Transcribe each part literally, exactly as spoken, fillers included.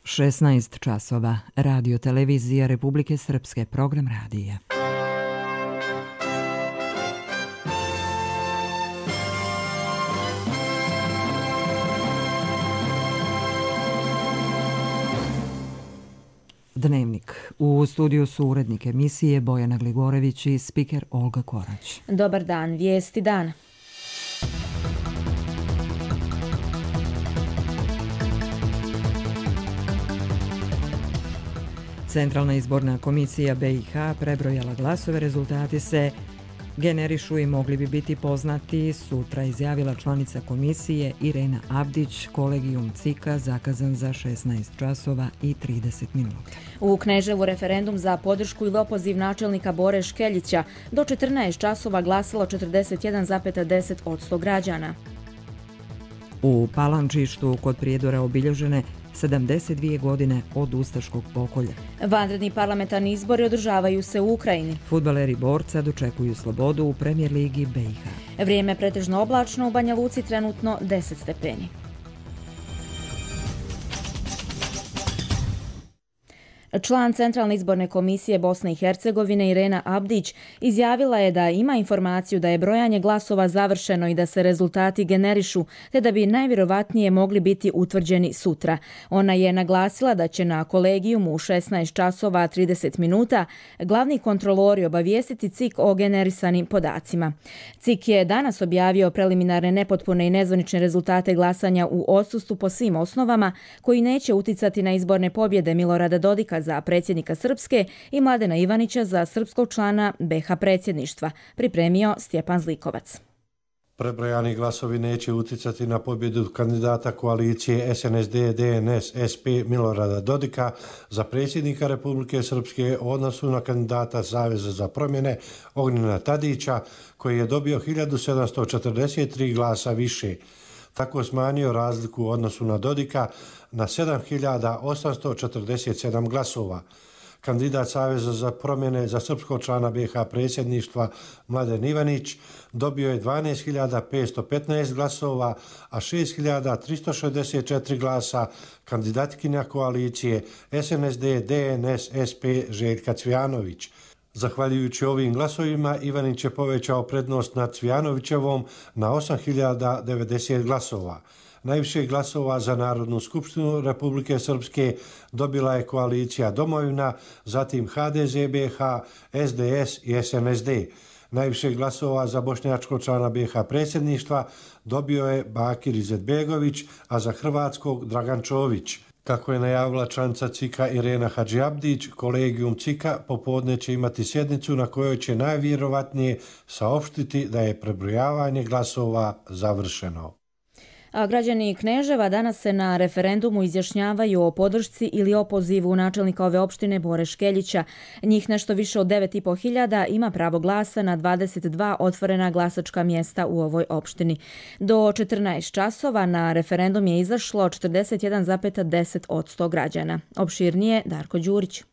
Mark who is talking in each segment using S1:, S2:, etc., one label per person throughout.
S1: šesnaest časova. Radio televizija Republike Srpske, program radija. Dnevnik. U studiju su urednik emisije Bojana Gligorević i spiker Olga Korać.
S2: Dobar dan, vijesti dana.
S1: Centralna izborna komisija B i H prebrojala glasove, rezultati se generišu i mogli bi biti poznati sutra, izjavila članica komisije Irena Abdić. Kolegijum C I K-a zakazan za šesnaest časova i trideset minuta.
S2: U Kneževu referendum za podršku ili opoziv načelnika Bore Škeljića do četrnaest časova glasalo četrdeset jedan zarez deset posto građana.
S1: U Palančištu kod Prijedora obilježene sedamdeset dvije godine od ustaškog pokolja.
S2: Vanredni parlamentarni izbori održavaju se u Ukrajini.
S1: Fudbaleri Borca dočekuju slobodu u Premijer ligi B i H.
S2: Vrijeme pretežno oblačno, u Banja Luci trenutno deset stepeni. Član Centralne izborne komisije Bosne i Hercegovine Irena Abdić izjavila je da ima informaciju da je brojanje glasova završeno i da se rezultati generišu, te da bi najvjerovatnije mogli biti utvrđeni sutra. Ona je naglasila da će na kolegijumu u šesnaest časova trideset minuta glavni kontrolori obavijestiti C I K o generisanim podacima. C I K je danas objavio preliminarne nepotpune i nezvanične rezultate glasanja u odsustvu po svim osnovama koji neće uticati na izborne pobjede Milorada Dodika za predsjednika Srpske i Mladena Ivanića za srpskog člana B H predsjedništva, pripremio Stjepan Zlikovac.
S3: Prebrojani glasovi neće uticati na pobjedu kandidata koalicije S N S D, D N S, S P Milorada Dodika za predsjednika Republike Srpske u odnosu na kandidata Saveza za promjene Ognjena Tadića, koji je dobio hiljadu sedamsto četrdeset tri glasa više. Tako smanjio razliku u odnosu na Dodika na sedam hiljada osamsto četrdeset sedam glasova. Kandidat Saveza za promjene za srpskog člana B H predsjedništva Mladen Ivanić dobio je dvanaest hiljada petsto petnaest glasova, a šest hiljada tristo šezdeset četiri glasa kandidatkinja koalicije S N S D, D N S, S P Željka Cvijanović. Zahvaljujući ovim glasovima, Ivanić je povećao prednost nad Cvijanovićevom na osam hiljada devedeset glasova. Najviše glasova za Narodnu skupštinu Republike Srpske dobila je koalicija Domovina, zatim H D Z B H, S D S i S N S D. Najviše glasova za bošnjačkog člana B H predsjedništva dobio je Bakir Izetbegović, a za hrvatskog Dragan Čović. Kako je najavila članica C I K-a Irena Hadžiabdić, kolegijum C I K-a popodne će imati sjednicu na kojoj će najvjerovatnije saopštiti da je prebrojavanje glasova završeno.
S2: A građani Kneževa danas se na referendumu izjašnjavaju o podršci ili opozivu načelnika ove opštine Bore Škeljića. Njih nešto više od devet i po hiljada ima pravo glasa na dvadeset dva otvorena glasačka mjesta u ovoj opštini. Do četrnaest časova na referendum je izašlo četrdeset jedan zarez deset posto građana. Opširnije Darko Đurić.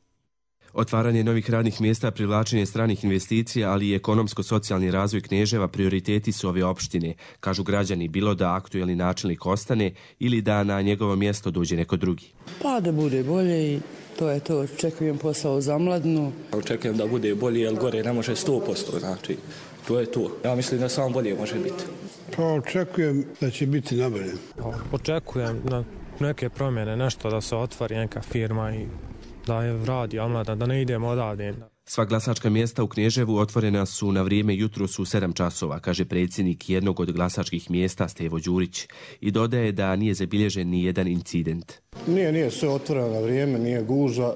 S4: Otvaranje novih radnih mjesta, privlačenje stranih investicija, ali i ekonomsko-socijalni razvoj Kneževa prioriteti su ove opštine, kažu građani, bilo da aktuelni načelnik ostane ili da na njegovo mjesto dođe neko drugi.
S5: Pa da bude bolje i to je to. Očekujem posao za Mladnu.
S6: Očekujem da bude bolje, jer gore ne može sto posto, znači to je to. Ja mislim da samo bolje može biti.
S7: Pa očekujem da će biti nabolje.
S8: Očekujem na neke promjene, nešto da se otvori neka firma i da je radi Omladna, da ne idemo odavde.
S4: Sva glasačka mjesta u Kneževu otvorena su na vrijeme jutros u sedam časova, kaže predsjednik jednog od glasačkih mjesta Stevo Đurić, i dodaje da nije zabilježen ni jedan incident.
S7: Nije, nije sve otvoreno na vrijeme, nije gužva.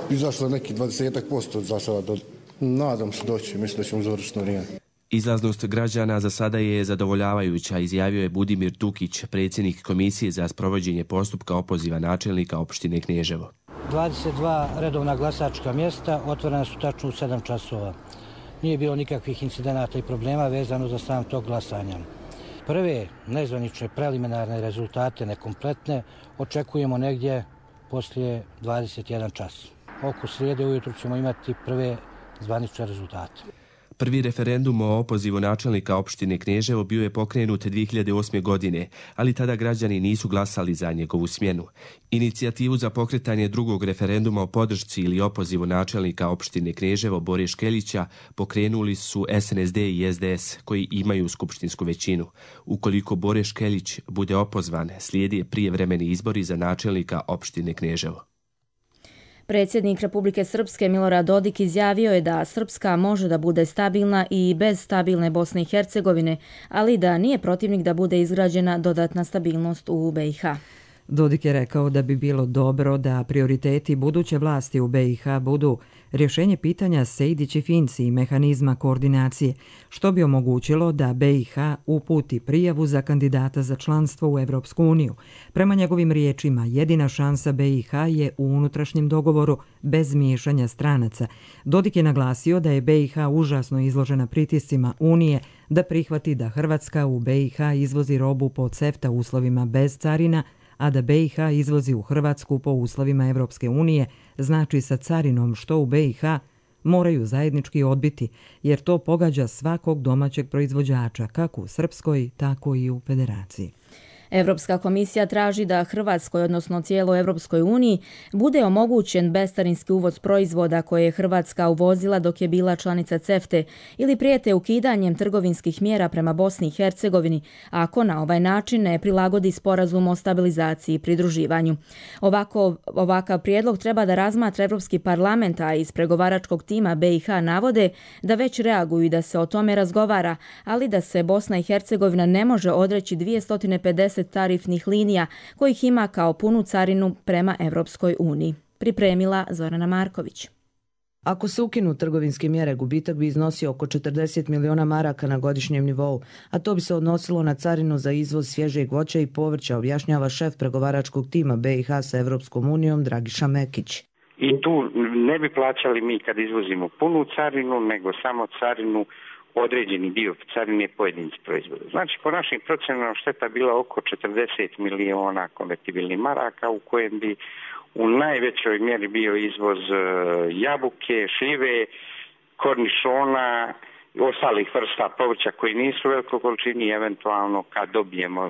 S7: Izašlo neki dvadeset posto za sada. Nadam se doći, mislim da ćemo završiti na vrijeme.
S4: Izlaznost građana za sada je zadovoljavajuća, izjavio je Budimir Tukić, predsjednik komisije za sprovođenje postupka opoziva načelnika opštine Kneževo.
S9: dvadeset dva redovna glasačka mjesta otvorena su tačno u sedam časova. Nije bilo nikakvih incidenata i problema vezano za sam tog glasanja. Prve nezvanične preliminarne rezultate nekompletne očekujemo negdje poslije dvadeset jedan čas. Oko srijede ujutru ćemo imati prve zvanične rezultate.
S4: Prvi referendum o opozivu načelnika opštine Kneževo bio je pokrenut dvije hiljade osme. godine, ali tada građani nisu glasali za njegovu smjenu. Inicijativu za pokretanje drugog referenduma o podršci ili opozivu načelnika opštine Kneževo Bore Škeljića pokrenuli su S N S D i S D S, koji imaju skupštinsku većinu. Ukoliko Bore Škeljić bude opozvan, slijedi prijevremeni izbori za načelnika opštine Kneževo.
S2: Predsjednik Republike Srpske Milorad Dodik izjavio je da Srpska može da bude stabilna i bez stabilne Bosne i Hercegovine, ali da nije protivnik da bude izgrađena dodatna stabilnost u B i H.
S1: Dodik je rekao da bi bilo dobro da prioriteti buduće vlasti u B i H budu rješenje pitanja Sejdić i Finci i mehanizma koordinacije, što bi omogućilo da B i H uputi prijavu za kandidata za članstvo u Evropsku uniju. Prema njegovim riječima, jedina šansa B i H je u unutrašnjem dogovoru bez miješanja stranaca. Dodik je naglasio da je B i H užasno izložena pritiscima Unije da prihvati da Hrvatska u B i H izvozi robu po CEFTA uslovima bez carina, a da B i H izvozi u Hrvatsku po uslovima Evropske unije, znači sa carinom, što u B i H moraju zajednički odbiti, jer to pogađa svakog domaćeg proizvođača, kako u Srpskoj, tako i u Federaciji.
S2: Evropska komisija traži da Hrvatskoj, odnosno cijeloj Evropskoj uniji, bude omogućen bescarinski uvoz proizvoda koje je Hrvatska uvozila dok je bila članica CEFTA ili prijete ukidanjem trgovinskih mjera prema Bosni i Hercegovini, ako na ovaj način ne prilagodi sporazum o stabilizaciji i pridruživanju. Ovako, ovakav prijedlog treba da razmatra Evropski parlament, a iz pregovaračkog tima B i H navode da već reaguju i da se o tome razgovara, ali da se Bosna i Hercegovina ne može odreći dvjesto pedeset tarifnih linija kojih ima kao punu carinu prema Evropskoj uniji. Pripremila Zorana Marković.
S10: Ako se ukinu trgovinske mjere, gubitak bi iznosio oko četrdeset miliona maraka na godišnjem nivou, a to bi se odnosilo na carinu za izvoz svježeg voća i povrća, objašnjava šef pregovaračkog tima B i H sa Evropskom unijom Dragiša Mekić.
S11: I tu ne bi plaćali mi kad izvozimo punu carinu, nego samo carinu, određeni dio carine pojedinci proizvoda. Znači, po našim procenama šteta bila oko četrdeset miliona konvertibilnih maraka, u kojem bi u najvećoj mjeri bio izvoz jabuke, šljive, kornišona i ostalih vrsta povrća koji nisu u velikoj količini i eventualno kad dobijemo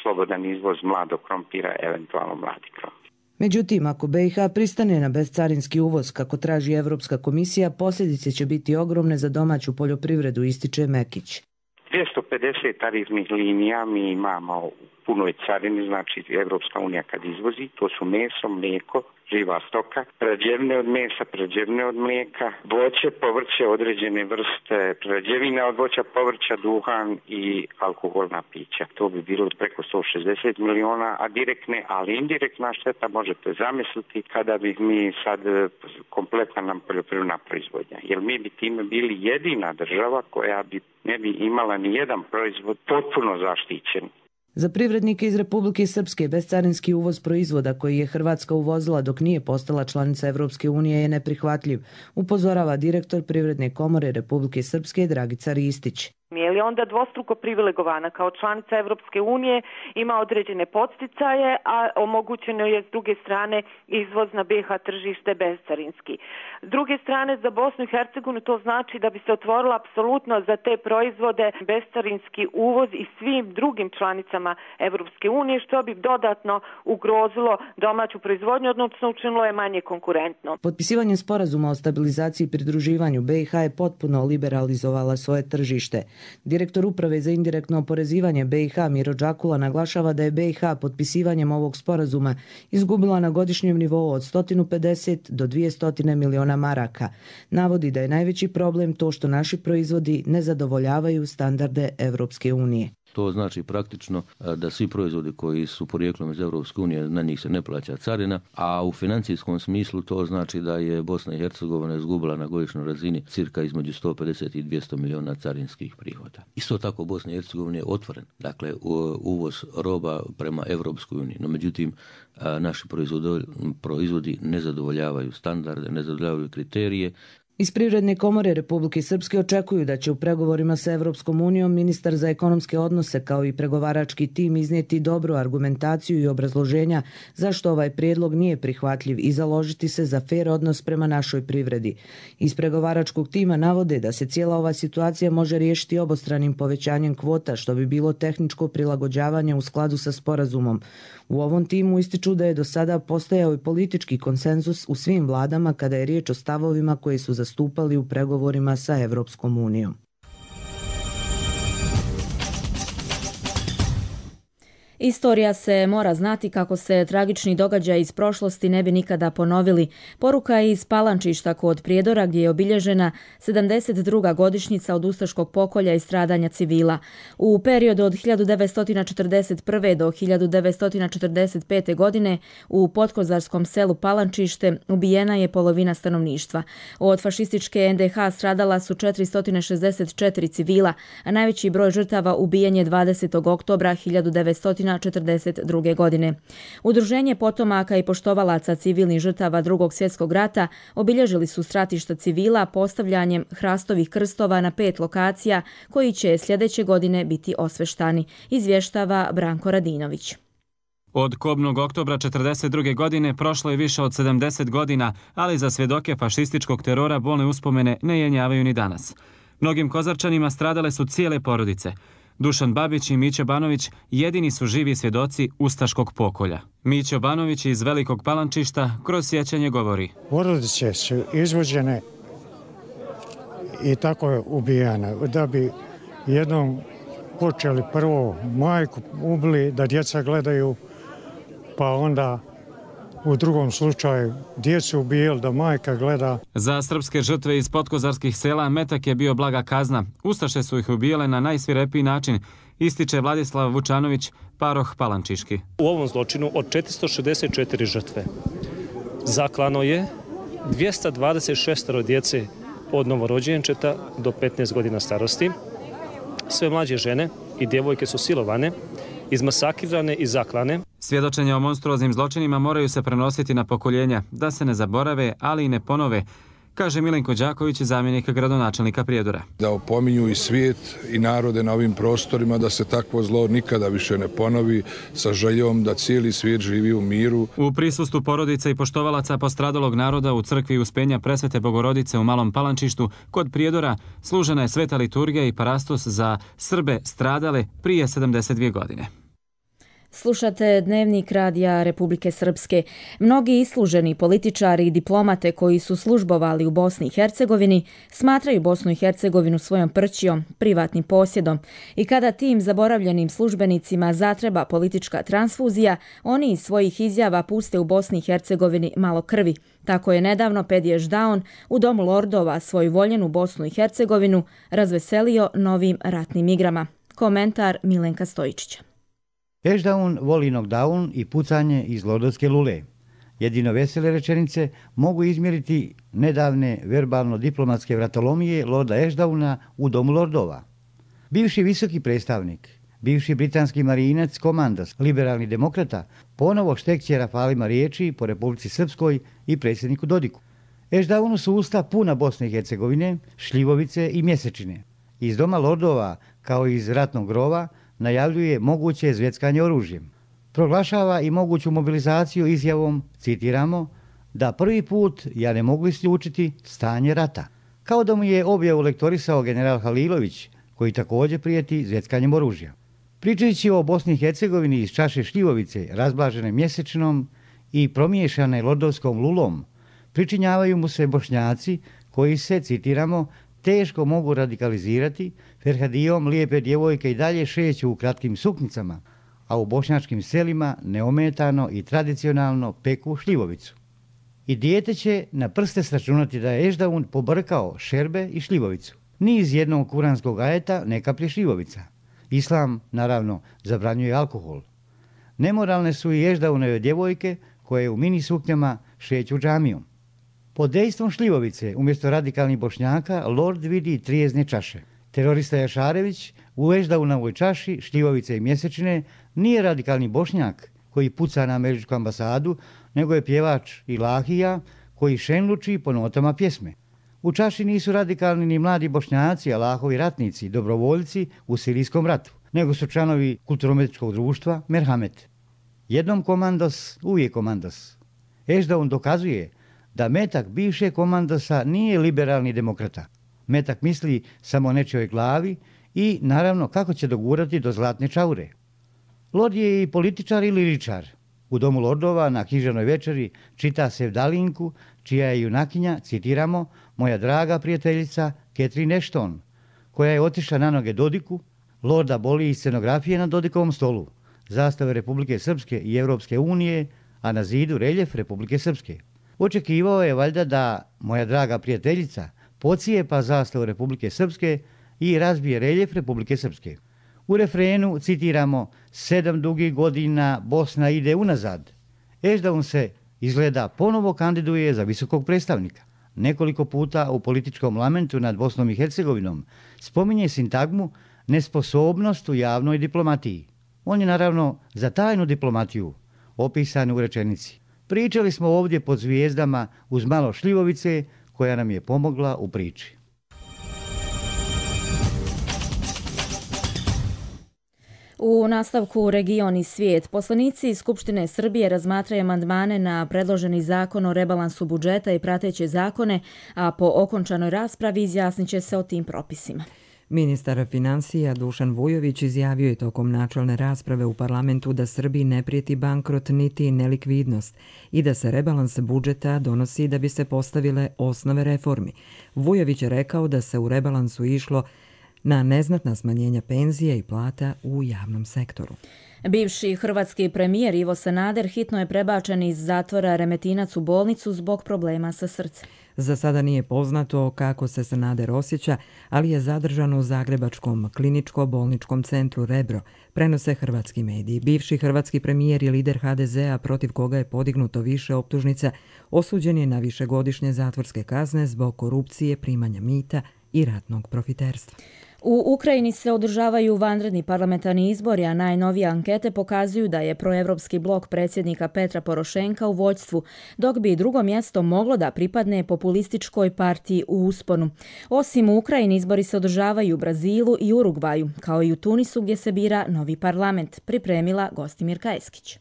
S11: slobodan izvoz mladog krompira, eventualno mladi krompir.
S10: Međutim, ako B i H pristane na bescarinski uvoz, kako traži Evropska komisija, posljedice će biti ogromne za domaću poljoprivredu, ističe Mekić.
S11: dvjesto pedeset tarifnih linija mi imamo u punoj carini, znači Evropska unija kad izvozi, to su meso, mlijeko, živa stoka, prerađevine od mesa, prerađevine od mlijeka, voće, povrće, određene vrste prerađevina od voća, povrća, duhan i alkoholna pića. To bi bilo preko sto šezdeset miliona, a direktne, ali indirektna šteta možete zamisliti kada bi mi sad kompletna nam poljoprivredna proizvodnja. Jer mi bi time bili jedina država koja bi ne bi imala ni jedan proizvod potpuno zaštićen.
S10: Za privrednike iz Republike Srpske bescarinski uvoz proizvoda koji je Hrvatska uvozila dok nije postala članica Evropske unije je neprihvatljiv, upozorava direktor Privredne komore Republike Srpske Dragica Ristić.
S12: Je li onda dvostruko privilegovana kao članica Evropske unije, ima određene podsticaje, a omogućeno je s druge strane izvoz na B i H tržište bescarinski. S druge strane za Bosnu i Hercegovinu to znači da bi se otvorila apsolutno za te proizvode bescarinski uvoz i svim drugim članicama Evropske unije, što bi dodatno ugrozilo domaću proizvodnju, odnosno učinilo je manje konkurentno.
S10: Potpisivanjem sporazuma o stabilizaciji i pridruživanju B i H je potpuno liberalizovala svoje tržište. Direktor uprave za indirektno oporezivanje B i H Miro Đakula naglašava da je B i H potpisivanjem ovog sporazuma izgubila na godišnjem nivou od sto pedeset do dvjesto miliona maraka. Navodi da je najveći problem to što naši proizvodi ne zadovoljavaju standarde Evropske unije.
S13: To znači praktično da svi proizvodi koji su porijeklom iz Evropske unije, na njih se ne plaća carina, a u financijskom smislu to znači da je Bosna i Hercegovina izgubila na godišnjoj razini cirka između sto pedeset i dvjesto miliona carinskih prihoda. Isto tako Bosna i Hercegovina je otvoren, dakle uvoz roba prema Evropskoj uniji, no međutim naši proizvodi ne zadovoljavaju standarde, ne zadovoljavaju kriterije.
S10: Iz Privredne komore Republike Srpske očekuju da će u pregovorima sa Evropskom unijom ministar za ekonomske odnose kao i pregovarački tim iznijeti dobru argumentaciju i obrazloženja zašto ovaj prijedlog nije prihvatljiv i založiti se za fer odnos prema našoj privredi. Iz pregovaračkog tima navode da se cijela ova situacija može riješiti obostranim povećanjem kvota, što bi bilo tehničko prilagođavanje u skladu sa sporazumom. U ovom timu ističu da je do sada postojao i politički konsenzus u svim vladama kada je riječ o stavovima koji su zastupali u pregovorima sa Evropskom unijom.
S2: Istorija se mora znati kako se tragični događaj iz prošlosti ne bi nikada ponovili. Poruka je iz Palančišta kod Prijedora gdje je obilježena sedamdeset druga godišnjica od ustaškog pokolja i stradanja civila. U periodu od hiljadu devetsto četrdeset prve. do hiljadu devetsto četrdeset pete. godine u podkozarskom selu Palančište ubijena je polovina stanovništva. Od fašističke en de ha stradala su četiristo šezdeset četiri civila, a najveći broj žrtava ubijen je dvadesetog oktobra hiljadu devetsto četrdeset druge. godine. Udruženje potomaka i poštovalaca civilnih žrtava Drugog svjetskog rata obilježili su stratišta civila postavljanjem hrastovih krstova na pet lokacija koji će sljedeće godine biti osveštani, izvještava Branko Radinović.
S14: Od kobnog oktobra četrdeset druge. godine prošlo je više od sedamdeset godina, ali za svjedoke fašističkog terora bolne uspomene ne jenjavaju ni danas. Mnogim Kozarčanima stradale su cijele porodice. Dušan Babić i Mićo Banović jedini su živi svjedoci ustaškog pokolja. Mićo Banović iz Velikog Palančišta kroz sjećanje govori.
S15: Porodice su izvođene i tako je ubijana. Da bi jednom počeli prvo majku ubili da djeca gledaju, pa onda u drugom slučaju djecu ubijeli da majka gleda.
S14: Za srpske žrtve iz podkozarskih sela metak je bio blaga kazna. Ustaše su ih ubijele na najsvirepiji način, ističe Vladislav Vučanović, paroh Palančiški.
S16: U ovom zločinu od četiristo šezdeset četiri žrtve zaklano je dvjesto dvadeset šest djece od novorođenčeta do petnaest godina starosti. Sve mlađe žene i djevojke su silovane, izmasakrirane i zaklane.
S14: Svjedočenja o monstruoznim zločinima moraju se prenositi na pokoljenja, da se ne zaborave, ali i ne ponove, kaže Milenko Đaković, zamjenik gradonačelnika Prijedora.
S17: Da opominju i svijet i narode na ovim prostorima da se takvo zlo nikada više ne ponovi, sa željom da cijeli svijet živi u miru.
S14: U prisustvu porodica i poštovalaca postradalog naroda u crkvi Uspenja Presvete Bogorodice u Malom Palančištu kod Prijedora služena je sveta liturgija i parastos za Srbe stradale prije sedamdeset dvije godine.
S2: Slušate Dnevnik radija Republike Srpske. Mnogi isluženi političari i diplomate koji su službovali u Bosni i Hercegovini smatraju Bosnu i Hercegovinu svojom prćijom, privatnim posjedom. I kada tim zaboravljenim službenicima zatreba politička transfuzija, oni iz svojih izjava puste u Bosni i Hercegovini malo krvi. Tako je nedavno Pedije Ždaon u Domu lordova svoju voljenu Bosnu i Hercegovinu razveselio novim ratnim igrama. Komentar Milenka Stojičića.
S18: Ešdaun voli knockdown i pucanje iz lordovske lule. Jedino vesele rečenice mogu izmjeriti nedavne verbalno-diplomatske vratolomije lorda Ešdauna u Domu lordova. Bivši visoki predstavnik, bivši britanski marinac komandas, liberalni demokrata, ponovo štekće rafalima riječi po Republici Srpskoj i predsjedniku Dodiku. Ešdaunu su usta puna Bosne i Hercegovine, šljivovice i mjesečine. Iz Doma lordova, kao iz ratnog grova, najavljuje moguće zveckanje oružjem. Proglašava i moguću mobilizaciju izjavom, citiramo, da prvi put ja ne mogu isključiti stanje rata. Kao da mu je objavu lektorisao general Halilović, koji također prijeti zveckanjem oružja. Pričajući o Bosni i Hercegovini iz čaše šljivovice, razblažene mjesečinom i promiješane lordovskom lulom, pričinjavaju mu se Bošnjaci koji se, citiramo, teško mogu radikalizirati, Ferhadijom lijepe djevojke i dalje šeću u kratkim suknicama, a u bošnjačkim selima neometano i tradicionalno peku šljivovicu. I dijete će na prste sračunati da je Ešdaun pobrkao šerbe i šljivovicu. Ni iz jednog kuranskog ajeta ne kaplje šljivovica. Islam, naravno, zabranjuje alkohol. Nemoralne su i Ešdaunove djevojke koje u mini suknjama šeću džamijom. Pod dejstvom šljivovice, umjesto radikalnih Bošnjaka, lord vidi trijezne čaše. Terorista Jašarević u Ešdaunovoj čaši, šljivovice i mjesečine, nije radikalni Bošnjak koji puca na američku ambasadu, nego je pjevač Ilahija koji šenluči po notama pjesme. U čaši nisu radikalni ni mladi Bošnjaci, Allahovi ratnici, dobrovoljci u sirijskom ratu, nego su članovi kulturometičkog društva Merhamet. Jednom komandos, uvijek komandos. Ešdaun dokazuje da metak bivše komandosa nije liberalni demokrata. Metak misli samo o nečijoj glavi i, naravno, kako će dogurati do zlatne čaure. Lord je i političar i liričar. U Domu lordova na književnoj večeri čita Sevdalinku, čija je junakinja, citiramo, moja draga prijateljica Catherine Ashton, koja je otišla na noge Dodiku. Lorda boli i scenografije na Dodikovom stolu, zastave Republike Srpske i Evropske unije, a na zidu reljef Republike Srpske. Očekivao je valjda da moja draga prijateljica pocijepa zastavu Republike Srpske i razbije reljef Republike Srpske. U refrenu citiramo sedam dugih godina Bosna ide unazad. Ešdaun se izgleda ponovo kandiduje za visokog predstavnika. Nekoliko puta u političkom lamentu nad Bosnom i Hercegovinom spominje sintagmu nesposobnost u javnoj diplomatiji. On je naravno za tajnu diplomatiju opisan u rečenici. Pričali smo ovdje pod zvijezdama uz malo šljivovice koja nam je pomogla u priči.
S2: U nastavku Region i svijet, poslanici iz Skupštine Srbije razmatraju amandmane na predloženi zakon o rebalansu budžeta i prateće zakone, a po okončanoj raspravi izjasnit će se o tim propisima.
S1: Ministar financija Dušan Vujović izjavio je tokom načelne rasprave u parlamentu da Srbiji ne prijeti bankrot niti nelikvidnost i da se rebalans budžeta donosi da bi se postavile osnove reformi. Vujović je rekao da se u rebalansu išlo na neznatna smanjenja penzija i plata u javnom sektoru.
S2: Bivši hrvatski premijer Ivo Sanader hitno je prebačen iz zatvora Remetinac u bolnicu zbog problema sa srcem.
S1: Za sada nije poznato kako se Sanader osjeća, ali je zadržan u Zagrebačkom kliničko-bolničkom centru Rebro, prenose hrvatski mediji. Bivši hrvatski premijer i lider ha de zea, protiv koga je podignuto više optužnica, osuđen je na višegodišnje zatvorske kazne zbog korupcije, primanja mita i ratnog profiterstva.
S2: U Ukrajini se održavaju vanredni parlamentarni izbori, a najnovije ankete pokazuju da je proevropski blok predsjednika Petra Porošenka u vođstvu, dok bi drugo mjesto moglo da pripadne populističkoj partiji u usponu. Osim u Ukrajini, izbori se održavaju u Brazilu i Urugvaju, kao i u Tunisu gdje se bira novi parlament, pripremila Gostimirka Eskić.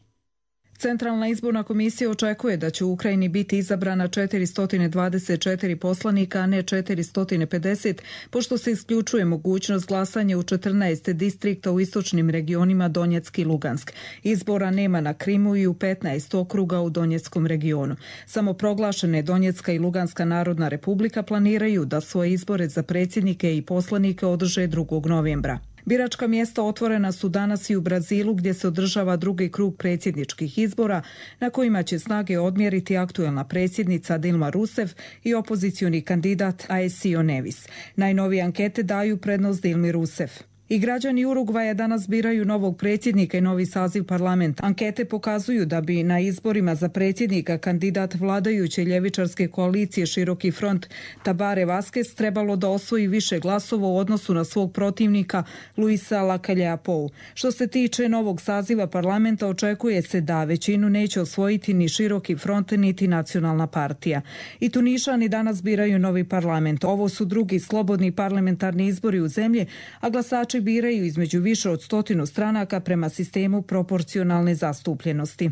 S19: Centralna izborna komisija očekuje da će u Ukrajini biti izabrana četiristo dvadeset četiri poslanika, a ne četiristo pedeset, pošto se isključuje mogućnost glasanja u četrnaest distrikta u istočnim regionima Donjeck i Lugansk. Izbora nema na Krimu i u petnaest okruga u Donjeckom regionu. Samo proglašene Donjecka i Luganska narodna republika planiraju da svoje izbore za predsjednike i poslanike održe drugog novembra. Biračka mjesta otvorena su danas i u Brazilu gdje se održava drugi krug predsjedničkih izbora na kojima će snage odmjeriti aktuelna predsjednica Dilma Rousseff i opozicioni kandidat Aécio Neves. Najnovije ankete daju prednost Dilmi Rousseff. I građani Urugvaja danas biraju novog predsjednika i novi saziv parlamenta. Ankete pokazuju da bi na izborima za predsjednika kandidat vladajuće ljevičarske koalicije Široki front Tabare Vazquez trebalo da osvoji više glasova u odnosu na svog protivnika Luisa Lacalle-Pou. Što se tiče novog saziva parlamenta, očekuje se da većinu neće osvojiti ni Široki front niti Nacionalna partija. I Tunišani danas biraju novi parlament. Ovo su drugi slobodni parlamentarni izbori u zemlji, a glasači biraju između više od stotinu stranaka prema sistemu proporcionalne zastupljenosti.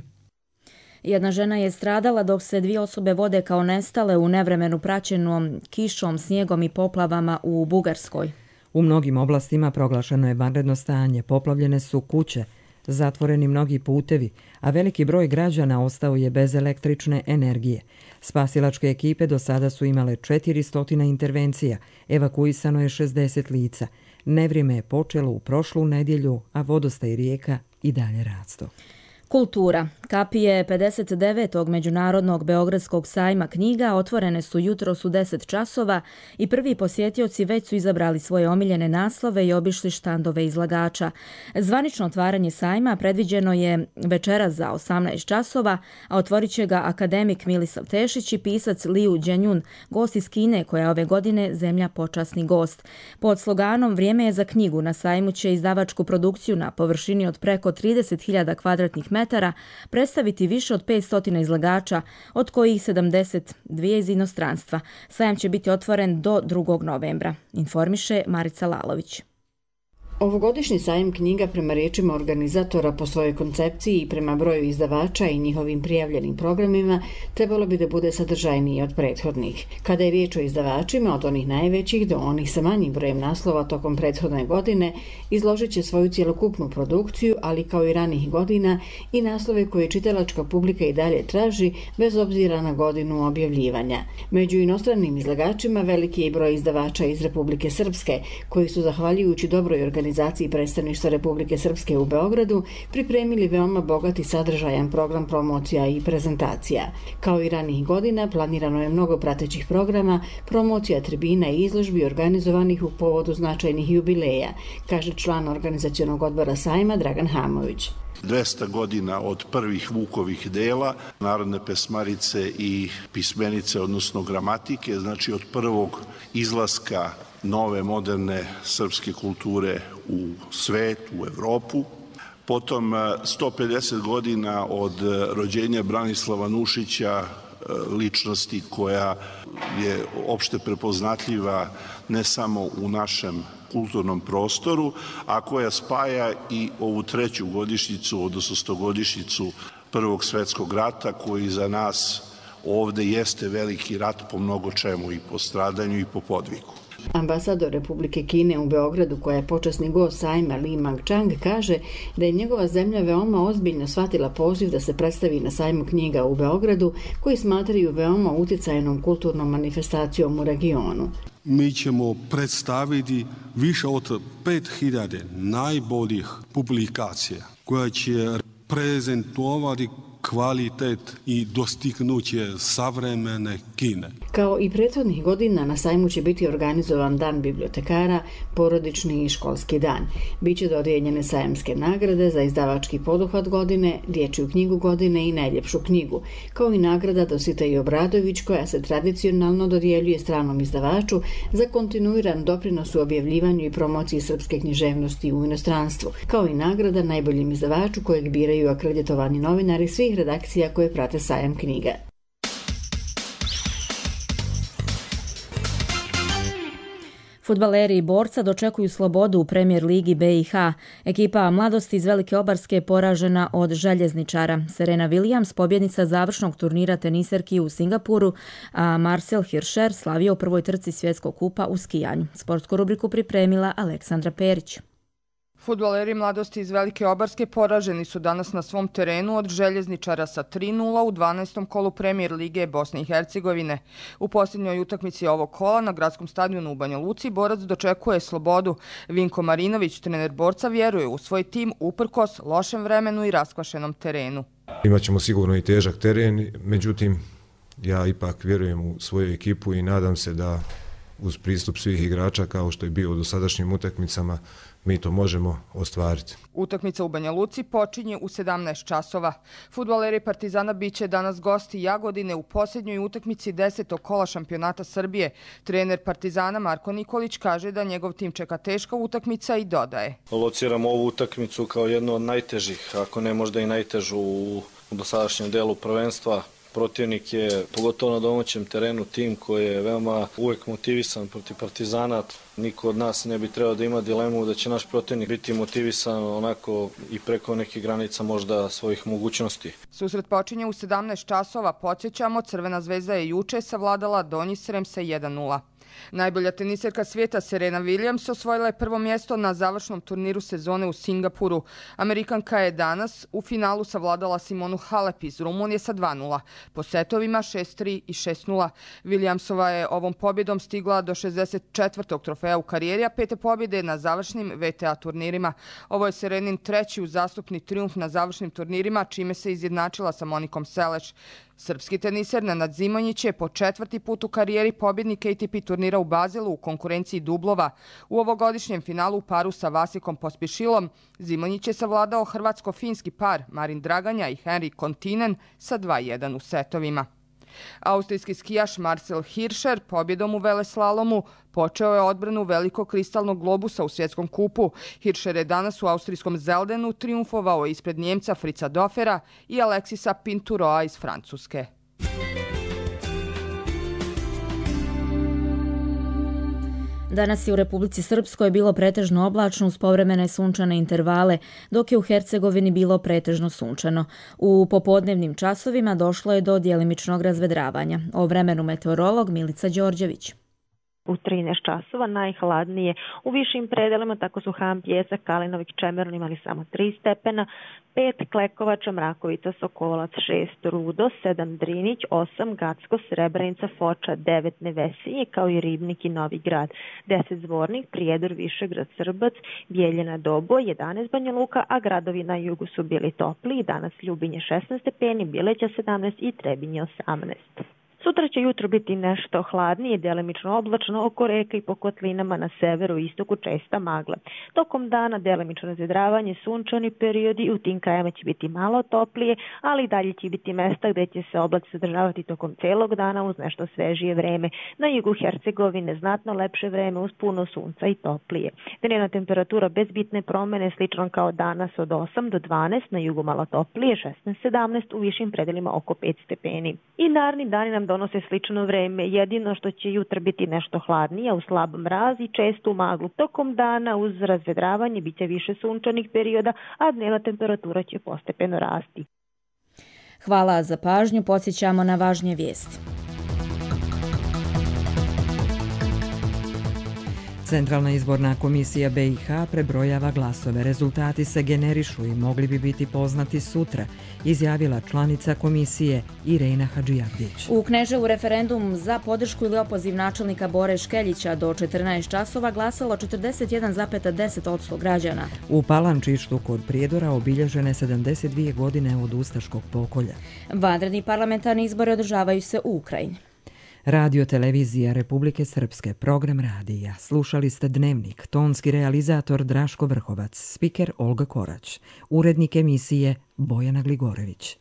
S2: Jedna žena je stradala dok se dvije osobe vode kao nestale u nevremenu praćenom kišom, snijegom i poplavama u Bugarskoj.
S1: U mnogim oblastima proglašeno je vanredno stanje, poplavljene su kuće, zatvoreni mnogi putevi, a veliki broj građana ostao je bez električne energije. Spasilačke ekipe do sada su imale četiristo intervencija, evakuisano je šezdeset lica. Nevrijeme je počelo u prošlu nedjelju, a vodostaj rijeka i dalje rastu.
S2: Kultura. Kapije pedeset devetog Međunarodnog Beogradskog sajma knjiga otvorene su jutros u deset časova i prvi posjetioci već su izabrali svoje omiljene naslove i obišli štandove izlagača. Zvanično otvaranje sajma predviđeno je večeras za osamnaest časova, a otvorit će ga akademik Milisav Tešić i pisac Liu Dženjun, gost iz Kine koja je ove godine zemlja počasni gost. Pod sloganom Vrijeme je za knjigu na sajmu će izdavačku produkciju na površini od preko trideset hiljada kvadratnih metara metara predstaviti više od petsto izlagača, od kojih sedamdeset dvije iz inostranstva. Sajam će biti otvoren do drugog novembra, informiše Marica Lalović.
S20: Ovogodišnji sajam knjiga prema riječima organizatora po svojoj koncepciji i prema broju izdavača i njihovim prijavljenim programima trebalo bi da bude sadržajniji od prethodnih. Kada je riječ o izdavačima, od onih najvećih do onih sa manjim brojem naslova tokom prethodne godine, izložit će svoju cjelokupnu produkciju, ali kao i ranih godina i naslove koje čitalačka publika i dalje traži bez obzira na godinu objavljivanja. Među inostranim izlagačima veliki je broj izdavača iz Republike Srpske, koji su zahvaljujući dobroj organizaciji organizaciji predstavništva Republike Srpske u Beogradu pripremili veoma bogat i sadržajan program promocija i prezentacija. Kao i ranih godina, planirano je mnogo pratećih programa, promocija tribina i izložbi organizovanih u povodu značajnih jubileja, kaže član organizacionog odbora sajma Dragan Hamović.
S21: dvesta godina od prvih Vukovih dela, narodne pesmarice i pismenice, odnosno gramatike, znači od prvog izlaska nove moderne srpske kulture u svet, u Evropu. Potom sto pedeset godina od rođenja Branislava Nušića, ličnosti koja je opšte prepoznatljiva ne samo u našem kulturnom prostoru, a koja spaja i ovu treću godišnjicu, odnosno stogodišnjicu Prvog svjetskog rata, koji za nas ovde jeste veliki rat po mnogo čemu, i po stradanju i po podvigu.
S20: Ambasador Republike Kine u Beogradu, koja je počasni gost sajma Li Mang-chang, kaže da je njegova zemlja veoma ozbiljno shvatila poziv da se predstavi na sajmu knjiga u Beogradu, koji smatraju veoma utjecajnom kulturnom manifestacijom u regionu.
S22: Mi ćemo predstaviti više od pet hiljada najboljih publikacija koja će prezentovati kvalitet i dostignuće savremene Kine.
S20: Kao i prethodnih godina, na sajmu će biti organizovan dan bibliotekara, porodični i školski dan. Biće dodijeljene sajamske nagrade za izdavački poduhvat godine, dječju knjigu godine i najljepšu knjigu, kao i nagrada Dositej Obradović, koja se tradicionalno dodjeljuje stranom izdavaču za kontinuiran doprinos u objavljivanju i promociji srpske književnosti u inostranstvu, kao i nagrada najboljem izdavaču kojeg biraju akreditovani novinari svih redakcija koje prate sajam knjiga.
S2: Fudbaleri i borca dočekuju slobodu u Premier ligi B i H. Ekipa mladosti iz Velike Obarske je poražena od željezničara. Serena Williams, pobjednica završnog turnira teniserki u Singapuru, a Marcel Hirscher slavio u prvoj trci svjetskog kupa u skijanju. Sportsku rubriku pripremila Aleksandra Perić.
S23: Fudbaleri mladosti iz Velike Obarske poraženi su danas na svom terenu od željezničara sa tri nula u dvanaestom kolu Premier lige Bosne i Hercegovine. U posljednjoj utakmici ovog kola na gradskom stadionu u Banja Luci borac dočekuje slobodu. Vinko Marinović, trener borca, vjeruje u svoj tim uprkos lošem vremenu i raskvašenom terenu.
S24: Imaćemo sigurno i težak teren, međutim ja ipak vjerujem u svoju ekipu i nadam se da uz pristup svih igrača, kao što je bio u dosadašnjim utakmicama, mi to možemo ostvariti.
S23: Utakmica u Banja Luci počinje u sedamnaest časova. Fudbaleri Partizana biće danas gosti Jagodine u posljednjoj utakmici desetog kola šampionata Srbije. Trener Partizana Marko Nikolić kaže da njegov tim čeka teška utakmica i dodaje.
S25: Lociramo ovu utakmicu kao jednu od najtežih, ako ne možda i najtežu u dosadašnjem delu prvenstva. Protivnik je, pogotovo na domaćem terenu, tim koji je veoma uvek motivisan protiv Partizana. Niko od nas ne bi trebao da ima dilemu da će naš protivnik biti motivisan onako i preko nekih granica možda svojih mogućnosti.
S23: Susret počinje u sedamnaest časova. Podsjećamo, Crvena zvezda je juče savladala Donji Srem sa jedan nula. Najbolja teniserka svijeta Serena Williams osvojila je prvo mjesto na završnom turniru sezone u Singapuru. Amerikanka je danas u finalu savladala Simonu Halep iz Rumunije sa dva nula. Po setovima šest tri i šest nula. Williamsova je ovom pobjedom stigla do šezdeset četvrtog trofeja u karijeri, a pete pobjede na završnim V T A turnirima. Ovo je Serenin treći uzastopni trijumf na završnim turnirima, čime se izjednačila sa Monikom Seleš. Srpski teniser Nenad Zimonjić je po četvrti put u karijeri pobjednik A T P turnira u Bazelu u konkurenciji dublova. U ovogodišnjem finalu u paru sa Vasikom Pospišilom Zimonjić je savladao hrvatsko-finski par Marin Draganja i Henrik Kontinen sa dva jedan u setovima. Austrijski skijaš Marcel Hirscher pobjedom u veleslalomu počeo je odbranu velikog kristalnog globusa u svjetskom kupu. Hirscher je danas u austrijskom Zeldenu triumfovao ispred Njemca Fritza Dofera i Alexisa Pinturoa iz Francuske.
S2: Danas je u Republici Srpskoj bilo pretežno oblačno uz povremene sunčane intervale, dok je u Hercegovini bilo pretežno sunčano. U popodnevnim časovima došlo je do djelimičnog razvedravanja. O vremenu meteorolog Milica Đorđević.
S3: U trinaest časova najhladnije u višim predelima, tako su Ham, Pjesak, Kalinovik, Čemerun imali samo tri stepena, pet Klekovača, Mrakovica, Sokolac, šest Rudo, sedam Drinić, osam Gacko, Srebrenica, Foča, devet Nevesinje, kao i Ribnik i Novi Grad, deset Zvornik, Prijedor, Višegrad, Srbac, Bijeljina, Doboj, jedanaest Banja Luka, a gradovi na jugu su bili topli, danas Ljubinje šesnaest stepeni, Bileća sedamnaest i Trebinje osamnaest. Sutra će jutro biti nešto hladnije, delimično oblačno, oko reka i po kotlinama na severu i istoku česta magla. Tokom dana delimično razvedravanje, sunčani periodi i u tim krajima će biti malo toplije, ali i dalje će biti mesta gdje će se oblaci sadržavati tokom celog dana uz nešto svežije vreme. Na jugu Hercegovine znatno lepše vreme uz puno sunca i toplije. Dnevna temperatura bez bitne promjene, slično kao danas od osam do dvanaest, na jugu malo toplije, šesnaest sedamnaest, u višim predelima oko pet stepeni. I naredni dani nam donose slično vreme, jedino što će jutra biti nešto hladnije, u slab mraz i čestu maglu. Tokom dana uz razvedravanje biće više sunčanih perioda, a dnevna temperatura će postepeno rasti.
S2: Hvala za pažnju, podsjećamo na važnije vijesti.
S1: Centralna izborna komisija B i H prebrojava glasove. Rezultati se generišu i mogli bi biti poznati sutra, izjavila članica komisije Irena Hadžijardić.
S2: U Kneževu referendum za podršku ili opoziv načelnika Bore Škeljića do četrnaest časova glasalo četrdeset jedan zarez deset posto građana.
S1: U Palančištu kod Prijedora obilježene sedamdeset dvije godine od ustaškog pokolja.
S2: Vanredni parlamentarni izbori održavaju se u Ukrajini.
S1: Radio televizija Republike Srpske, program radija. Slušali ste Dnevnik, tonski realizator Draško Vrhovac, spiker Olga Korać, urednik emisije Bojana Gligorević.